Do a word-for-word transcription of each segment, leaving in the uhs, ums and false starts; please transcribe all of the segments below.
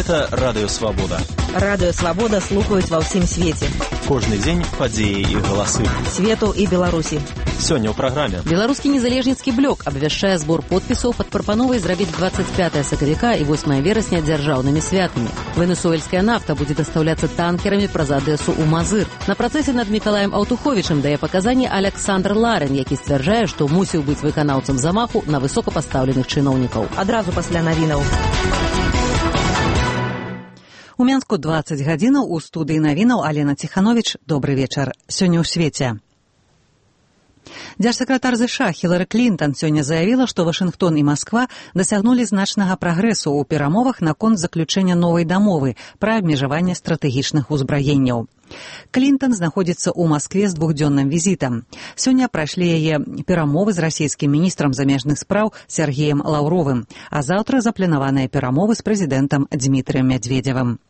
Гэта Радыё Свабода. Радыё Свабода слухаюць ва ўсім свеце. Кожны дзень падзеі і галасы. Свету і Беларусі. Сёння ў праграме. Беларускі незалежніцкі блок абвяшчае збор подпісаў пад прапановай зрабіць двадцать пятое сакавіка і восьмое верасня дзяржаўнымі святамі. Венесуэльская нафта будзе дастаўляцца танкерамі праз Адэсу ў Мазыр. На працэсе над Мікалаем Аўтуховічым дае паказанні Аляксандр Ларин, які сцвярджае, што мусіў быць выканаўцам замаху на высокапастаўленых чыноўнікаў. Адразу пасля навінаў. У Менску двадцать гадзінаў, у студыі навінаў Алена Ціхановіч. Добры вечар. Сёння ў свеце. Дзяржсакратар ЗША Хілары Клінтон сёння заявіла, што Вашынгтон і Масква дасягнулі значнага прагрэсу ў перамовах наконт заключэння новай дамовы пра абмежаванне стратэгічных узбраенняў. Клінтон знаходзіцца ў Маскве з двухдзённым візітам. Сёння прайшлі яе перамовы з расійскім міністрам замежных спраў Сергеем Лаўровым, а заўтра запланаваныя перамовы з прэзідэнтам Дмітрыем Мядзведзевым.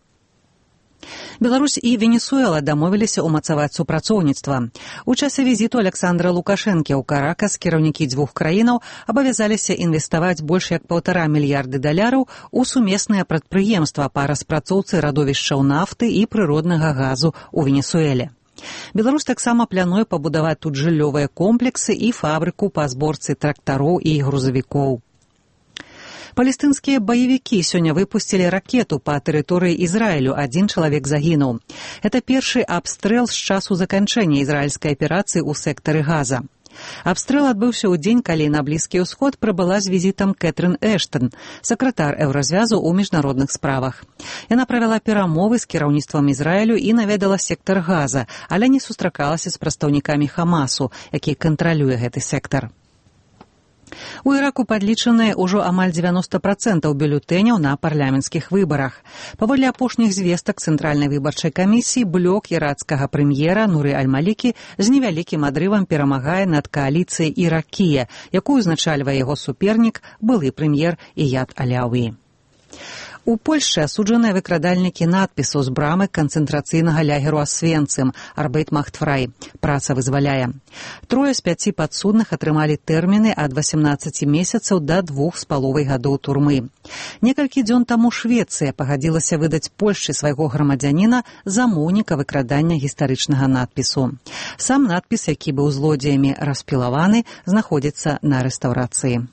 Беларусь і Венесуэла дамовіліся ўмацаваць супрацоўніцтва. У часе візіту Аляксандра Лукашэнкі ў Каракас кіраўнікі дзвюх краінаў абавязаліся інвеставаць больш як паўтара мільярды даляраў у сумесныя прадпрыемства па распрацоўцы радовішчаў нафты і прыроднага газу ў Венесуэле. Беларусь таксама плануе пабудаваць тут жыллёвыя комплексы і фабрыку па зборцы трактароў і грузавікоў. Палестынскія баевікі сёння выпусцілі ракету па тэрыторыі Ізраілю. Адзін чалавек загінуў. Это першы абстрэл з часу заканчэння ізраільскай аперацыі ў сектары Газа. Абстрэл адбыўся ў дзень, калі на Блізкі ўсход прыбыла з візітам Кэтрын Эштон, сакратар Еўразвязу ў міжнародных справах. Яна правяла перамовы з кіраўніцтвам Ізраілю і наведала сектар Газа, але не сустракалася з прадстаўнікамі Хамасу, які кантралюе гэты сектар. У Іраку падлічаныя ўжо амаль дзевяноста працэнтаў бюлетэняў на парламенцкіх выбарах. Паводле апошніх звестак Цэнтральнай выбарчай камісіі, блок ірацкага прэм'ера Нуры Аль-Малікі з невялікім адрывам перамагае над кааліцыяй Іракія, якую узначальвае яго супернік, былы прэм'ер Іяд Аляўі. У Польшчы асуджаныя выкрадальнікі надпісу з брамы канцэнтрацыйнага лагеру Асвенцым «Арбейт махт фрай» – «Праца вызваляе». Трое з пяці падсудных атрымалі тэрміны ад васямнаццаці месяцаў да двух з паловай гадоў турмы. Некалькі дзён таму Швецыя пагадзілася выдаць Польшчы свайго грамадзяніна замоўніка выкрадання гістарычнага надпісу. Сам надпіс, які быў злодзеямі распілаваны, знаходзіцца на рэстаўрацыі.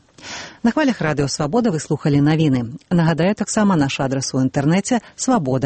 На хвалях Радыё Свабода вы слухалі навіны. Нагадаю таксама наш адрас у інтэрнэце свабода